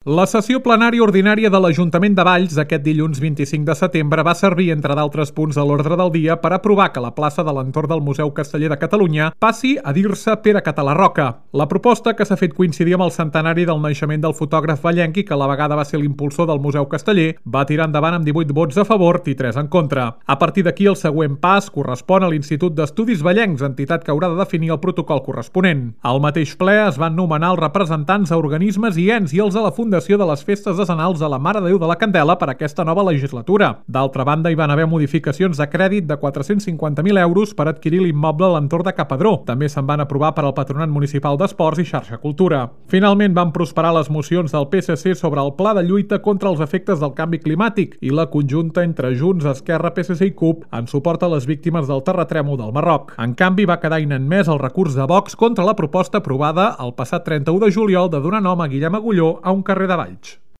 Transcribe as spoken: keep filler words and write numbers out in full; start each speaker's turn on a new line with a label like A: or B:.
A: La sessió plenària ordinària de l'Ajuntament de Valls aquest dilluns vint-i-cinc de setembre va servir, entre d'altres punts a l'ordre del dia, per aprovar que la plaça de l'entorn del Museu Casteller de Catalunya passi a dir-se Pere Català Roca. La proposta, que s'ha fet coincidir amb el centenari del naixement del fotògraf vallenc i que a la vegada va ser l'impulsor del Museu Casteller, va tirar endavant amb divuit vots a favor i tres en contra. A partir d'aquí, el següent pas correspon a l'Institut d'Estudis Vallencs, entitat que haurà de definir el protocol corresponent. Al mateix ple es van nomenar els representants a organismes i ens i els a la Fundació de les festes decenals de la Mare de Déu de la Candela per aquesta nova legislatura. D'altra banda, hi van haver modificacions de crèdit de quatre-cents cinquanta mil euros per adquirir l'immoble a l'entorn de Capadró. També se'n van aprovar per al Patronat Municipal d'Esports i Xarxa Cultura. Finalment van prosperar les mocions del P S C sobre el pla de lluita contra els efectes del canvi climàtic i la conjunta entre Junts, Esquerra, P S C i CUP en suport a les víctimes del terratrèmol del Marroc. En canvi, va quedar inadmès el recurs de Vox contra la proposta aprovada el passat trenta-u de juliol de donar nom a Guillem Agulló a un carrer de Valls.